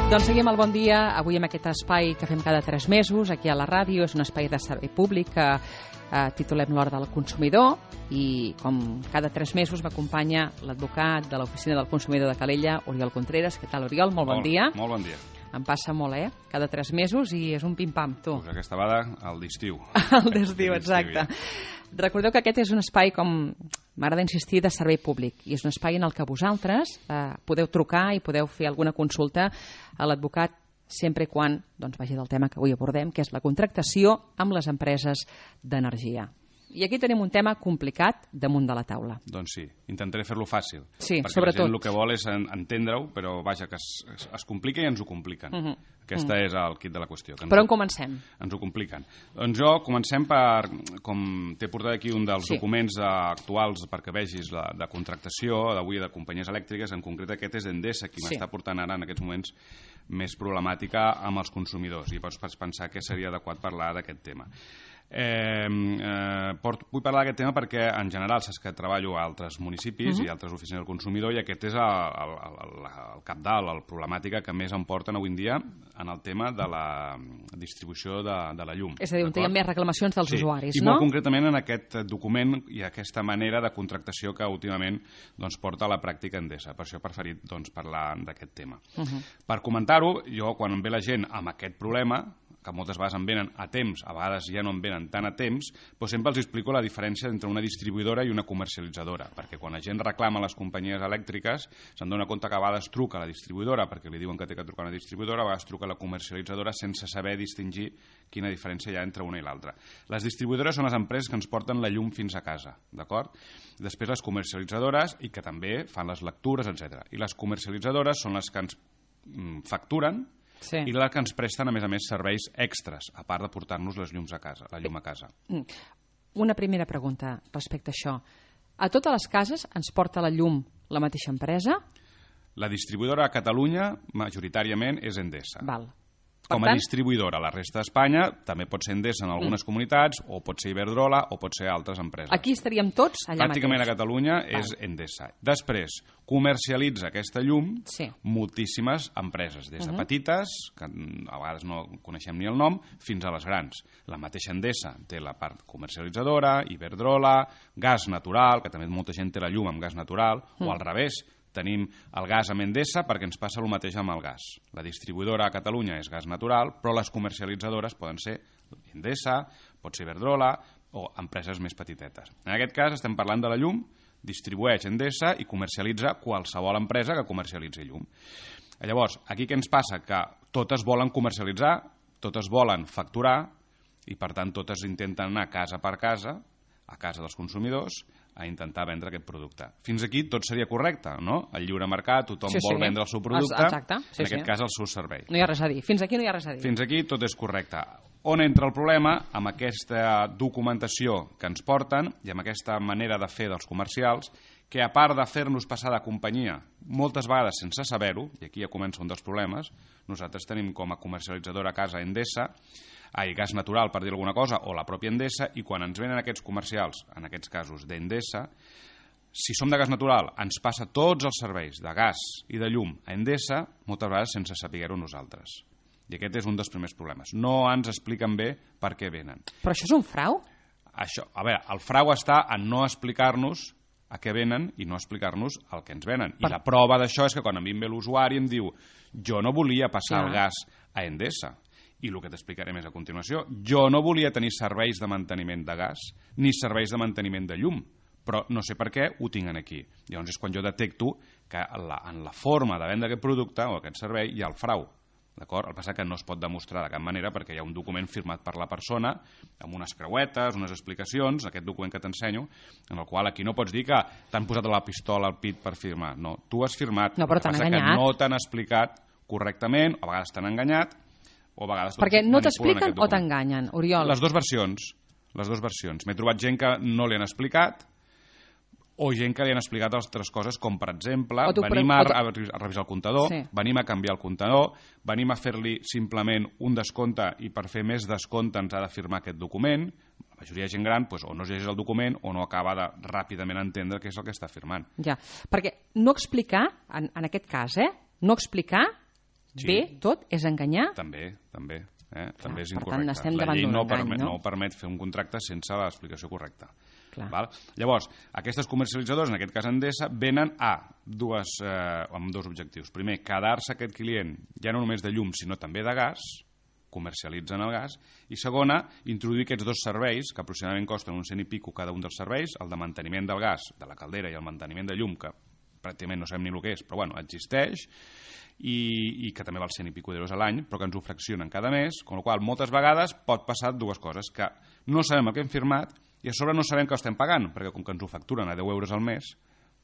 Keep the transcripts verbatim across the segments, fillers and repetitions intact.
Doncs seguim el Bon Dia, avui amb aquest espai que fem cada tres mesos, aquí a la ràdio. És un espai de servei públic que eh, titulem l'Hora del Consumidor, i com cada tres mesos m'acompanya l'advocat de l'Oficina del Consumidor de Calella, Oriol Contreras. Què tal, Oriol? Molt bon molt, dia. Molt bon dia. Em passa molt, eh? Cada tres mesos i és un pim-pam, tu. Pues aquesta vegada, el d'estiu. El d'estiu, exacte. Recordeu que aquest és un espai, com m'agrada insistir, de servei públic, i és un espai en el que vosaltres eh, podeu trucar i podeu fer alguna consulta a l'advocat sempre i quan doncs, vagi del tema que avui abordem, que és la contractació amb les empreses d'energia. I aquí tenim un tema complicat damunt de la taula. Doncs sí, intentaré fer-lo fàcil. Sí, perquè sobretot. la gent el que vol és entendre-ho, però vaja, que es, es, es complica i ens ho compliquen. Uh -huh. Aquesta uh -huh. és el kit de la qüestió. Que però on comencem? Ens ho compliquen. Doncs jo comencem per, com t'he portat aquí un dels sí. documents actuals perquè vegis la de contractació d'avui de companyies elèctriques, en concret aquest és d'Endesa, qui sí. m'està portant ara en aquests moments més problemàtica amb els consumidors, i pots pensar que seria adequat parlar d'aquest tema. Eh, eh, port, vull parlar d'aquest tema perquè en general saps que treballo a altres municipis uh -huh. i altres oficines del consumidor, i aquest és el, el, el, el capdalt, la problemàtica que més em porten avui en dia en el tema de la distribució de, de la llum. És a dir, on hi ha més reclamacions dels sí. usuaris, I no? I molt concretament en aquest document i aquesta manera de contractació que últimament doncs, porta a la pràctica Endesa. Per això he preferit doncs, parlar d'aquest tema. Uh -huh. Per comentar-ho, jo quan em ve la gent amb aquest problema, que moltes vegades em venen a temps, a vegades ja no em venen tant a temps, però sempre els explico la diferència entre una distribuïdora i una comercialitzadora, perquè quan la gent reclama a les companyies elèctriques se'n dona compte que a vegades truca a la distribuïdora perquè li diuen que té que trucar a una distribuïdora, a vegades truca a la comercialitzadora sense saber distingir quina diferència hi ha entre una i l'altra. Les distribuïdores són les empreses que ens porten la llum fins a casa, d'acord? Després les comercialitzadores, i que també fan les lectures, etcètera. I les comercialitzadores són les que ens mm, facturen, sí. i la que ens presten, a més a més, serveis extras, a part de portar-nos les llums a casa, la llum a casa. Una primera pregunta respecte a això. A totes les cases ens porta la llum la mateixa empresa? La distribuïdora a Catalunya, majoritàriament, és Endesa. Val. Com a distribuïdora a la resta d'Espanya també pot ser Endesa en algunes mm. comunitats, o pot ser Iberdrola, o pot ser altres empreses. Aquí estaríem tots allà Pràcticament mateix. a Catalunya Val. És Endesa. Després, comercialitza aquesta llum sí. moltíssimes empreses, des de uh -huh. petites, que a vegades no coneixem ni el nom, fins a les grans. La mateixa Endesa té la part comercialitzadora, Iberdrola, gas natural, que també molta gent té la llum amb gas natural, mm. o al revés, tenim el gas amb Endesa perquè ens passa el mateix amb el gas. La distribuïdora a Catalunya és gas natural, però les comercialitzadores poden ser Endesa, pot ser Iberdrola o empreses més petitetes. En aquest cas estem parlant de la llum, distribueix Endesa i comercialitza qualsevol empresa que comercialitzi llum. Llavors, aquí què ens passa? Que totes volen comercialitzar, totes volen facturar i per tant totes intenten anar casa per casa, a casa dels consumidors, a intentar vendre aquest producte. Fins aquí tot seria correcte, no? El lliure mercat, tothom sí, sí. vol vendre el seu producte, exacte. Sí, en aquest sí. cas el seu servei. No hi ha res a dir. Fins aquí no hi ha res a dir. Fins aquí tot és correcte. On entra el problema? Amb aquesta documentació que ens porten i amb aquesta manera de fer dels comercials, que a part de fer-nos passar de companyia, moltes vegades sense saber-ho, i aquí ja comença un dels problemes, nosaltres tenim com a comercialitzadora a casa Endesa, ai, gas natural, per dir alguna cosa, o la pròpia Endesa, i quan ens venen aquests comercials, en aquests casos d'Endesa, si som de gas natural, ens passa tots els serveis de gas i de llum a Endesa, moltes vegades sense saber-ho nosaltres. I aquest és un dels primers problemes. No ens expliquen bé per què venen. Però això és un frau? Això, a veure, el frau està en no explicar-nos a què venen i no explicar-nos el que ens venen. Per... I la prova d'això és que quan a mi em ve l'usuari em diu jo no volia passar ja. el gas a Endesa. I el que t'explicaré més a continuació, jo no volia tenir serveis de manteniment de gas ni serveis de manteniment de llum, però no sé per què ho tinc aquí. Llavors és quan jo detecto que en la, en la forma de vendre aquest producte o aquest servei hi ha el frau. D'acord? El que passa que no es pot demostrar de cap manera perquè hi ha un document firmat per la persona amb unes creuetes, unes explicacions, aquest document que t'ensenyo, en el qual aquí no pots dir que t'han posat la pistola al pit per firmar. No, tu has firmat. No, però t'han enganyat. Que no t'han explicat correctament, a vegades t'han enganyat, o a vegades perquè no t'expliquen o t'enganyen, Oriol? Les dues versions. Les dues versions. M'he trobat gent que no li han explicat o gent que li han explicat altres coses, com per exemple, venim a, a revisar el comptador, sí. venim a canviar el comptador, venim a fer-li simplement un descompte i per fer més descompte ens ha de firmar aquest document. La majoria de gent gran doncs, o no es llegeix el document o no acaba de ràpidament entendre què és el que està firmant. Ja, perquè no explicar, en, en aquest cas, eh, no explicar Sí. Bé, tot és enganyar? També, també. Eh? Clar, també és per incorrecte. tant, estem la davant llei d'un no, engany, permet, no? no permet fer un contracte sense l'explicació correcta. Clar. Val? Llavors, aquestes comercialitzadores, en aquest cas Endesa, venen a dues, eh, amb dos objectius. Primer, quedar-se aquest client ja no només de llum, sinó també de gas, comercialitzen el gas, i segona, introduir aquests dos serveis, que aproximadament costen un cent i pico cada un dels serveis, el de manteniment del gas, de la caldera, i el manteniment de llum, que pràcticament no sabem ni el que és, però bueno, existeix, i, i que també val cent i pico d'euros a l'any, però que ens ho fraccionen cada mes, amb la qual cosa moltes vegades pot passar dues coses, que no sabem el que hem firmat i a sobre no sabem que l'estem pagant, perquè com que ens ho facturen a deu euros al mes,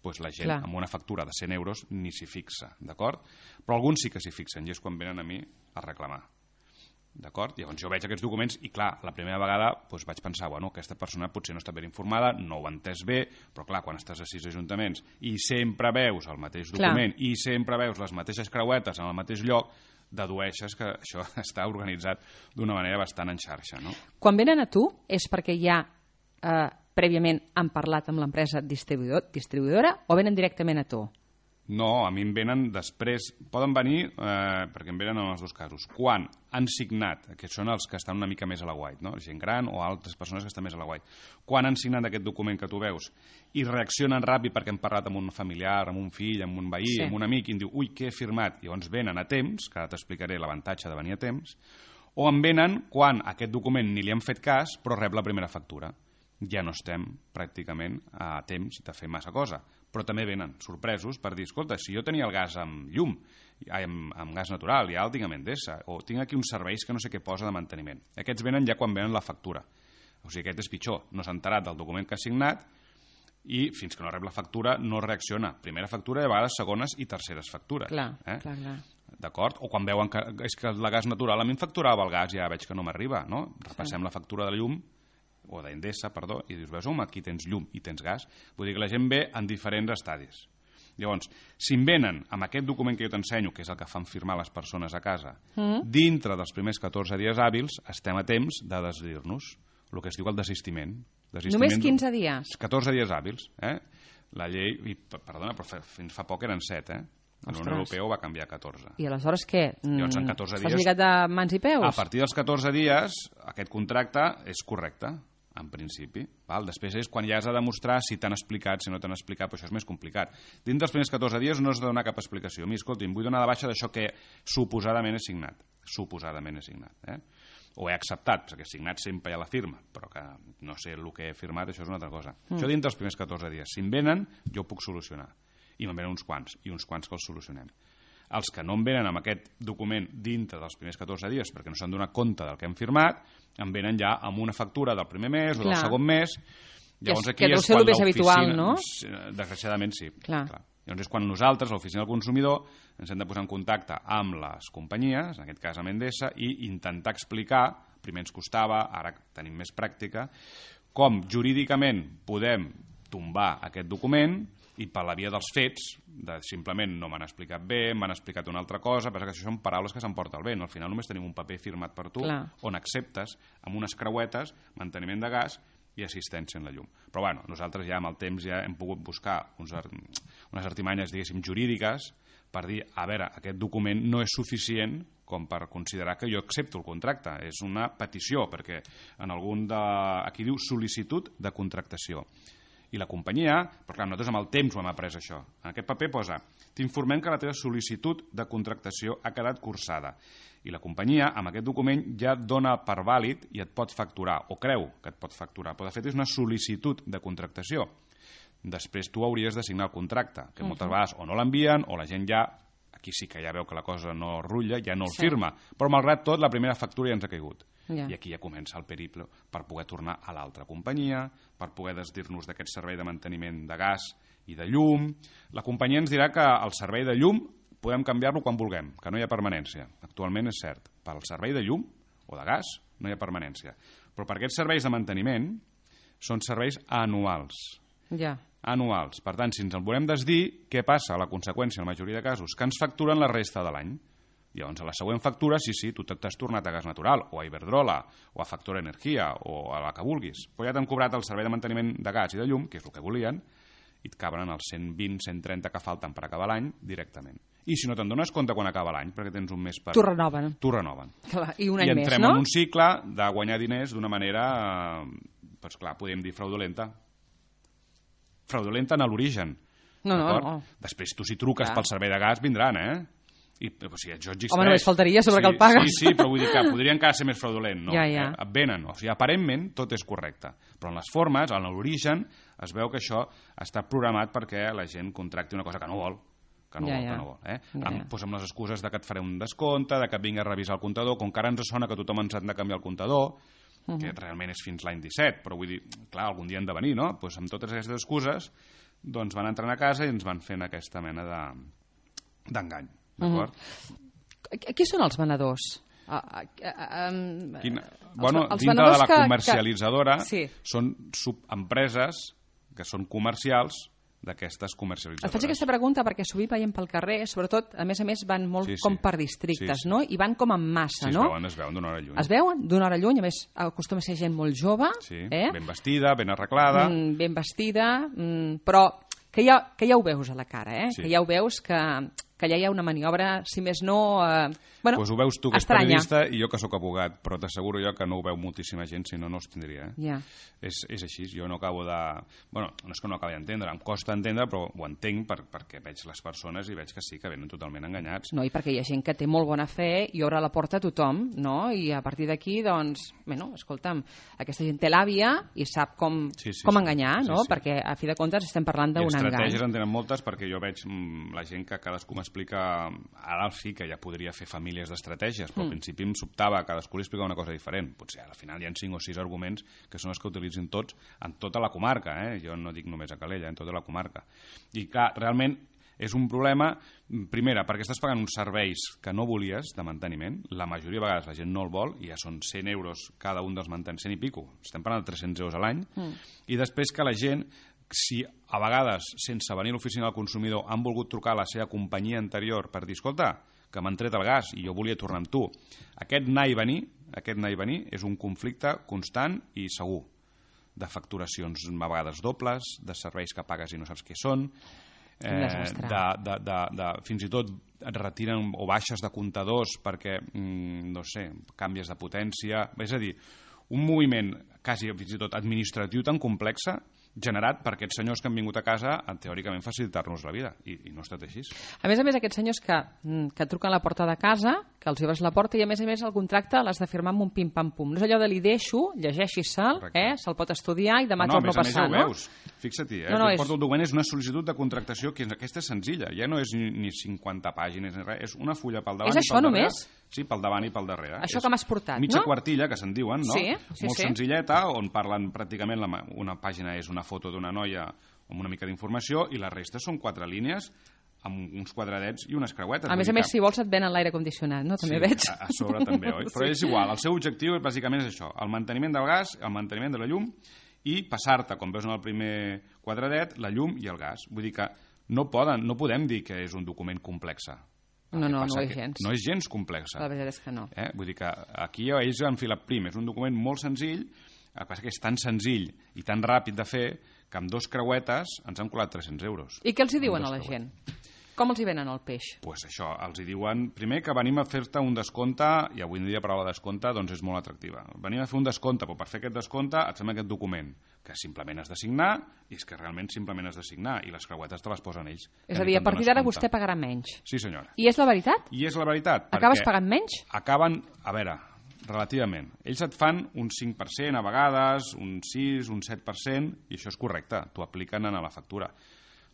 doncs la gent Clar. amb una factura de cent euros ni s'hi fixa, d'acord? Però alguns sí que s'hi fixen i és quan venen a mi a reclamar. D'acord? Llavors jo veig aquests documents i clar, la primera vegada doncs vaig pensar, bueno, aquesta persona potser no està ben informada, no ho ha entès bé, però clar, quan estàs a sis ajuntaments i sempre veus el mateix document clar. I sempre veus les mateixes creuetes en el mateix lloc, dedueixes que això està organitzat d'una manera bastant en xarxa, no? Quan venen a tu és perquè ja eh, prèviament han parlat amb l'empresa distribuïdor, distribuïdora o venen directament a tu? No, a mi em venen després, poden venir, eh, perquè em venen en els dos casos, quan han signat, que són els que estan una mica més a la guait, no? Gent gran o altres persones que estan més a la guait, quan han signat aquest document que tu veus i reaccionen ràpid perquè hem parlat amb un familiar, amb un fill, amb un veí, sí. amb un amic, i em diu, ui, què he firmat? I llavors venen a temps, que ara t'explicaré l'avantatge de venir a temps, o em venen quan aquest document ni li han fet cas, però rep la primera factura. Ja no estem pràcticament a temps de fer massa cosa. Però també venen sorpresos per dir, escolta, si jo tenia el gas amb llum, amb, amb gas natural, i ara el tinc amb Endesa, o tinc aquí uns serveis que no sé què posa de manteniment. Aquests venen ja quan venen la factura. O sigui, aquest és pitjor. No s'ha enterat del document que ha signat i fins que no rep la factura no reacciona. Primera factura i a vegades segones i terceres factures. Clar, eh? clar, clar. D'acord? O quan veuen que és que el gas natural a mi em facturava el gas i ja veig que no m'arriba, no? Repassem sí. la factura de la llum o d'Endesa, perdó, i dius, veus, home, aquí tens llum i tens gas. Vull dir que la gent ve en diferents estadis. Llavors, si em venen amb aquest document que jo t'ensenyo, que és el que fan firmar les persones a casa, mm. dintre dels primers catorze dies hàbils, estem a temps de desdir-nos, el que es diu el desistiment. desistiment Només quinze dies? catorze dies hàbils. Eh? La llei, i, perdona, però fins fa poc eren set, eh? La Unió Europea ho va canviar a catorze. I aleshores què? Llavors, en catorze dies... Estàs lligat de mans i peus? A partir dels catorze dies, aquest contracte és correcte, en principi. Val? Després és quan ja has de demostrar si t'han explicat, si no t'han explicat, però això és més complicat. Dins dels primers catorze dies no has de donar cap explicació. A mi, escolti, em vull donar de baixa d'això que suposadament he signat. Suposadament he signat. Eh? O he acceptat, perquè he signat sempre hi ha la firma, però que no sé el que he firmat, això és una altra cosa. Mm. Això dins dels primers catorze dies. Si em venen, jo ho puc solucionar. I me'n venen uns quants, i uns quants que els solucionem. Els que no em venen amb aquest document dintre dels primers catorze dies perquè no s'han donat compte del que hem firmat, em venen ja amb una factura del primer mes o del segon mes. Llavors aquí és quan l'oficina... No? Desgraciadament sí. Clar. Clar. Llavors és quan nosaltres, l'oficina del consumidor, ens hem de posar en contacte amb les companyies, en aquest cas amb Endesa, i intentar explicar, primer ens costava, ara tenim més pràctica, com jurídicament podem tombar aquest document i per la via dels fets, de simplement no m'han explicat bé, m'han explicat una altra cosa, però que això són paraules que s'emporta el vent. Al final només tenim un paper firmat per tu, Clar. on acceptes amb unes creuetes manteniment de gas i assistència en la llum. Però bueno, nosaltres ja amb el temps ja hem pogut buscar uns, unes artimanyes, diguéssim, jurídiques per dir, a veure, aquest document no és suficient com per considerar que jo accepto el contracte. És una petició, perquè en algun de... aquí diu sol·licitud de contractació. I la companyia, però clar, nosaltres amb el temps ho hem après això. En aquest paper posa, t'informem que la teva sol·licitud de contractació ha quedat cursada. I la companyia, amb aquest document, ja et dona per vàlid i et pot facturar, o creu que et pot facturar. Però de fet és una sol·licitud de contractació. Després tu hauries de signar el contracte, que moltes vegades o no l'envien o la gent ja, aquí sí que ja veu que la cosa no rutlla, ja no el sí. firma. Però malgrat tot, la primera factura ja ens ha caigut. Yeah. I aquí ja comença el periple per poder tornar a l'altra companyia, per poder desdir-nos d'aquest servei de manteniment de gas i de llum. La companyia ens dirà que el servei de llum podem canviar-lo quan vulguem, que no hi ha permanència. Actualment és cert. Per al servei de llum o de gas no hi ha permanència. Però per aquests serveis de manteniment són serveis anuals. Ja. Yeah. Anuals. Per tant, si ens el volem desdir, què passa? A la conseqüència, en la majoria de casos, que ens facturen la resta de l'any. Llavors, a la següent factura, sí, sí, tu t'has tornat a gas natural, o a Iberdrola, o a Factor Energia, o a la que vulguis. Però ja t'han cobrat el servei de manteniment de gas i de llum, que és el que volien, i et caben els cent vint cent trenta que falten per acabar l'any directament. I si no te'n dones compte quan acaba l'any, perquè tens un mes per... T'ho renoven. T'ho renoven. Clar, i un any I més, entrem no? en un cicle de guanyar diners d'una manera, eh, doncs clar, podríem dir fraudulenta. Fraudulenta en l'origen. No, no, no. Després tu si truques clar. Pel servei de gas vindran, eh? I, o sigui, això existeix. Home, només faltaria sobre sí, que el pagues. Sí, sí, però vull dir que podria encara ser més fraudulent, no? Ja, ja. Eh, et venen, o sigui, aparentment tot és correcte, però en les formes, en l'origen, es veu que això està programat perquè la gent contracti una cosa que no vol, que no ja, vol, ja. que no vol. Eh? Ja, amb, ja. doncs amb les excuses de que et faré un descompte, de que et vingui a revisar el comptador, com que ara ens sona que tothom ens ha de canviar el comptador, uh -huh. que realment és fins l'any disset, però vull dir, clar, algun dia han de venir, no? Doncs amb totes aquestes excuses, doncs van entrant a casa i ens van fent aquesta mena de d'engany, d'acord? Uh -huh. Qui són els venedors? Uh, uh, uh, um, Quina... els, Bueno, els dintre de la que, comercialitzadora que... Sí. són subempreses que són comercials d'aquestes comercialitzadores. Et faig aquesta pregunta perquè sovint veiem pel carrer, sobretot, a més a més, van molt sí, sí. com per districtes, sí, sí. no? I van com en massa, sí, no? Sí, es veuen, es veuen d'una hora lluny. Es veuen d'una hora lluny, a més, acostuma a ser gent molt jove. Sí, eh? ben vestida, ben arreglada. Mm, ben vestida, mm, però que ja, que ja ho veus a la cara, eh? Sí. Que ja ho veus que... que allà hi ha una maniobra, si més no... Eh, bueno, pues ho veus tu, que estranya. ets periodista, i jo que sóc abogat, però t'asseguro jo que no ho veu moltíssima gent, si no, no es tindria. Eh? Yeah. És, és així, jo no acabo de... Bueno, no és que no acabi d'entendre, em costa entendre, però ho entenc per, perquè veig les persones i veig que sí, que venen totalment enganyats. No, i perquè hi ha gent que té molt bona fe i obre la porta a tothom, no? I a partir d'aquí, doncs, bueno, escolta'm, aquesta gent té l'àvia i sap com, sí, sí, com sí. enganyar, no? Sí, sí. Perquè, a fi de comptes, estem parlant d'un engany. I estratègies en tenen moltes, perquè jo veig mm, la gent que cadascú m'explica... Ara sí que ja podria fer famílies d'estratègies, però mm. al principi em sobtava, cadascú li explica una cosa diferent. Potser al final hi ha cinc o sis arguments que són els que utilitzin tots en tota la comarca, eh? Jo no dic només a Calella, en tota la comarca. I clar, realment és un problema, primera, perquè estàs pagant uns serveis que no volies de manteniment, la majoria de vegades la gent no el vol, i ja són cent euros cada un dels manteniments, cent i pico, estem parlant de tres-cents euros a l'any, mm. i després que la gent, si a vegades, sense venir a l'oficina del consumidor, han volgut trucar a la seva companyia anterior per dir, escolta, que m'han tret el gas i jo volia tornar amb tu. Aquest anar i venir, aquest anar i venir és un conflicte constant i segur, de facturacions a vegades dobles, de serveis que pagues i no saps què són, eh, de, de, de, de, fins i tot et retiren o baixes de comptadors perquè, mm, no sé, canvies de potència, és a dir, un moviment quasi fins i tot administratiu tan complexa generat per aquests senyors que han vingut a casa a teòricament facilitar-nos la vida, i, i no ha estat així. A més a més, aquests senyors que, que truquen a la porta de casa, que els obres la porta, i a més a més el contracte l'has de firmar amb un pim-pam-pum. No és allò de li deixo, llegeixi-se'l, eh, se'l pot estudiar i demà no, torno a passar, no? no? Veus. Fixa-t'hi, eh? No, no, és... és... el document és una sol·licitud de contractació que aquesta és senzilla, ja no és ni, ni cinquanta pàgines ni res, és una fulla pel davant és i pel darrere. Només? Sí, pel davant i pel darrere. Això és que m'has portat, mitja no? quartilla, que se'n diuen, no? Sí, sí, molt sí. senzilleta, on parlen pràcticament, la, una pàgina és una foto d'una noia amb una mica d'informació i la resta són quatre línies amb uns quadradets i unes creuetes. A més a més, si vols et venen l'aire condicionat, no? També sí, veig. A, a sobre també, oi? Però és igual, el seu objectiu bàsicament és això, el manteniment del gas, el manteniment de la llum i passar-te, com veus en el primer quadradet, la llum i el gas. Vull dir que no, poden, no podem dir que és un document complex. No, no, no és gens. No és gens complexa. La veritat és que no. Eh? Vull dir que aquí ells han filat prim. És un document molt senzill, el que passa que és tan senzill i tan ràpid de fer que amb dos creuetes ens han colat tres-cents euros. I què els hi diuen a la gent? Com els hi venen el peix? Doncs pues això, els hi diuen, primer que venim a fer-te un descompte, i avui en dia la paraula descompte doncs és molt atractiva. Venim a fer un descompte, però per fer aquest descompte et fem aquest document, que simplement has de signar, i és que realment simplement has de signar, i les creuetes te les posen ells. És a dir, a partir d'ara vostè pagarà menys. Sí, senyora. I és la veritat? I és la veritat. Acabes pagant menys? Acaben, a veure, relativament. Ells et fan un cinc per cent a vegades, un sis, un set per cent, i això és correcte, t'ho apliquen a la factura.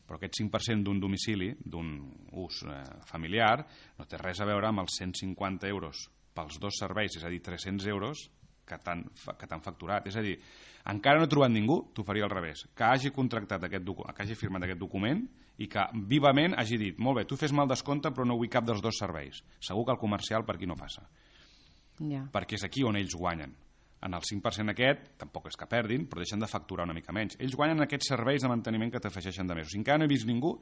Però aquest cinc per cent d'un domicili, d'un ús eh, familiar, no té res a veure amb els cent cinquanta euros pels dos serveis, és a dir, tres-cents euros que t'han que t'han facturat. És a dir, encara no he trobat ningú, t'ho faria al revés, que hagi contractat aquest document, que hagi firmat aquest document i que vivament hagi dit, molt bé, tu fes-me el descompte però no vull cap dels dos serveis. Segur que el comercial per aquí no passa. Ja. Perquè és aquí on ells guanyen. En el cinc per cent aquest, tampoc és que perdin, però deixen de facturar una mica menys. Ells guanyen aquests serveis de manteniment que t'afegeixen de més. O sigui, encara no he vist ningú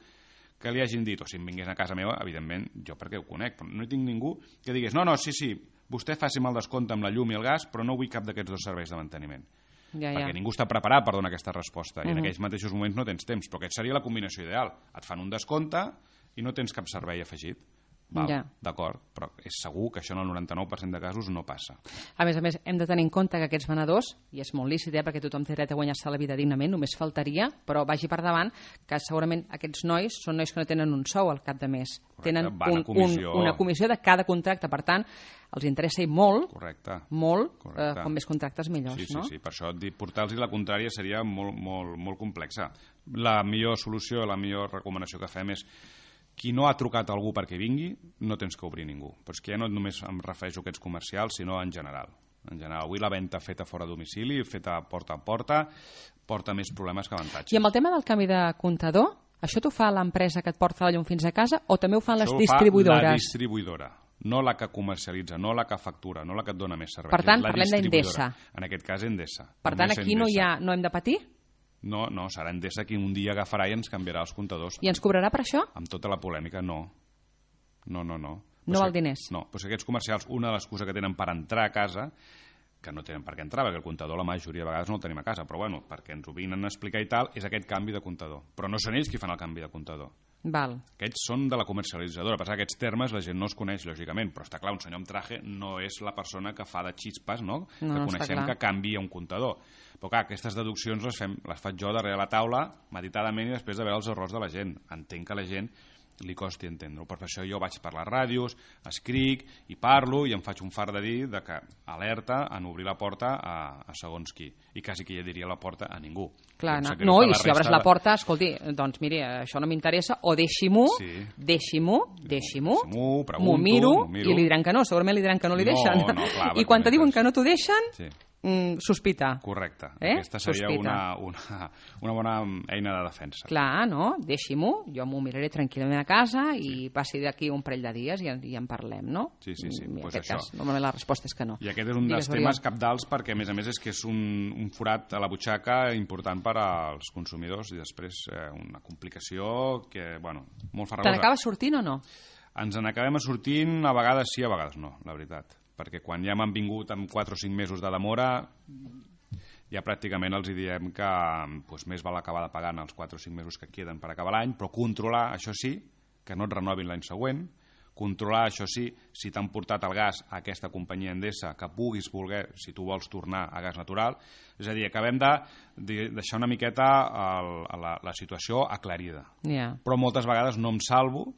que li hagin dit, o si em vingués a casa meva, evidentment, jo perquè ho conec, però no hi tinc ningú que digués, no, no, sí, sí, vostè faci'm el descompte amb la llum i el gas, però no vull cap d'aquests dos serveis de manteniment. Ja, ja. Perquè ningú està preparat per donar aquesta resposta, i en aquells mateixos moments no tens temps, però aquesta seria la combinació ideal. Et fan un descompte i no tens cap servei afegit. Val, ja. D'acord, però és segur que això en el noranta-nou per cent de casos no passa. A més a més, hem de tenir en compte que aquests venedors, i és molt lícit, eh, perquè tothom té dret a guanyar-se la vida dignament, només faltaria, però vagi per davant que segurament aquests nois són nois que no tenen un sou al cap de mes. Correcte, tenen un, comissió. Un, una comissió de cada contracte, per tant, els interessa molt, Correcte. molt, Correcte. Eh, com més contractes millors, sí, sí, no? Sí, sí, per això portar-los la contrària seria molt, molt, molt complexa. La millor solució, la millor recomanació que fem és qui no ha trucat a algú perquè vingui, no tens que obrir ningú. Però és que ja no només em refereixo a aquests comercials, sinó en general. En general, avui la venda feta fora de domicili, feta porta a porta, porta més problemes que avantatges. I amb el tema del canvi de comptador, això t'ho fa l'empresa que et porta la llum fins a casa o també ho fan les això distribuïdores? Això ho fa la distribuïdora, no la que comercialitza, no la que factura, no la que et dona més serveis. Per tant, parlem d'Endesa. En aquest cas, Endesa. Per tant, aquí no, hi ha, no hem de patir? No, no, serà Endesa qui un dia agafarà i ens canviarà els comptadors. I ens cobrarà per això? Amb tota la polèmica, no. No, no, no. No val diners? No, però aquests comercials, una de les coses que tenen per entrar a casa, que no tenen per què entrar, perquè el comptador la majoria de vegades no el tenim a casa, però bueno, perquè ens ho vinen a explicar i tal, és aquest canvi de comptador. Però no són ells qui fan el canvi de comptador. Val. Aquests són de la comercialitzadora. Per aquests termes la gent no els coneix, lògicament, però està clar, un senyor amb traje no és la persona que fa de xispes, no? No, que no coneixem que canvia un comptador. Però clar, aquestes deduccions les, fem, les faig jo darrere la taula, meditadament, i després de veure els errors de la gent. Entenc que a la gent li costi entendre-ho. Per això jo vaig per les ràdios, escric i parlo i em faig un far de dir de que alerta en obrir la porta a, a segons qui. I quasi que ja diria la porta a ningú. Clar, no, no i si obres la porta, escolti, doncs miri, això no m'interessa, o deixi-m'ho, sí. deixi-m'ho, deixi-m'ho, m'ho miro, miro i li diran que no, segurament li diran que no li deixen. No, no, clar, I quan te diuen que no t'ho deixen, sí. Mm, sospita. Correcte. Eh? Aquesta seria una, una, una bona eina de defensa. Clar, no? Deixi-m'ho, jo m'ho miraré tranquil·lament a casa i sí. passi d'aquí un parell de dies i, i en parlem, no? Sí, sí, sí. I en pues aquest això. cas, normalment la resposta és que no. I aquest és un Digues, dels temes cabdals perquè, a més a més, és que és un, un forat a la butxaca important per als consumidors i després eh, una complicació que, bueno, molt farragosa. Te n'acabes sortint o no? Ens n'acabem sortint, a vegades sí, a vegades no, la veritat. Perquè quan ja m'han vingut amb quatre o cinc mesos de demora, ja pràcticament els diem que doncs, més val acabar de pagar en els quatre o cinc mesos que queden per acabar l'any, però controlar, això sí, que no et renovin l'any següent, controlar, això sí, si t'han portat el gas a aquesta companyia Endesa, que puguis voler, si tu vols tornar a gas natural. És a dir, acabem de, de deixar una miqueta el, la, la situació aclarida. Yeah. Però moltes vegades no em salvo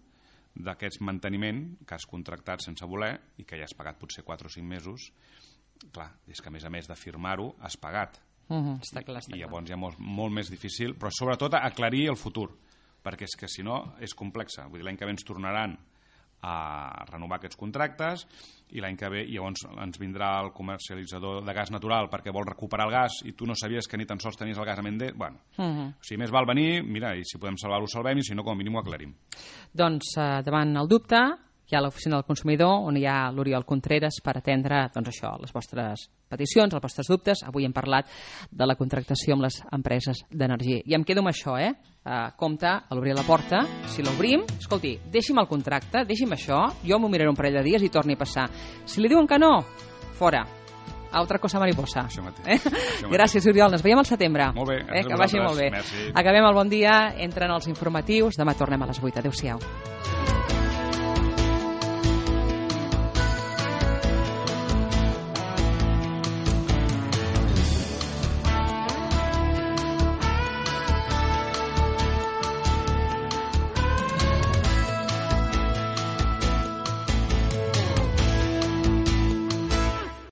d'aquest manteniment que has contractat sense voler i que ja has pagat potser quatre o cinc mesos. Clar, és que a més a més de firmar-ho has pagat. Uh-huh, està clar, està I llavors ja molt, molt més difícil, però sobretot aclarir el futur, perquè és que si no és complexa. Vull dir, l'any que ve ens tornaran a renovar aquests contractes i l'any que ve llavors ens vindrà el comercialitzador de gas natural perquè vol recuperar el gas i tu no sabies que ni tan sols tenies el gas a Mende. Bueno, uh-huh. O sigui, més val venir, mira, i si podem salvar-ho, salvem, i si no, com a mínim ho aclarim. Doncs eh, davant el dubte hi ha l'oficina del consumidor on hi ha l'Oriol Contreras per atendre doncs això, les vostres peticions, els vostres dubtes. Avui hem parlat de la contractació amb les empreses d'energia. I em quedo amb això, eh? Uh, compte a l'obrir la porta, si l'obrim, escolti, deixi'm el contracte, deixi'm això, jo m'ho miraré un parell de dies i torni a passar. Si li diuen que no, fora. Altra cosa mariposa. Això mateix. Eh? Això mateix. Gràcies, Oriol. Ens veiem al setembre. Molt bé. Eh? Que vagi molt bé. Merci. Acabem el bon dia, entren els informatius. Demà tornem a les vuit. Adéu-siau.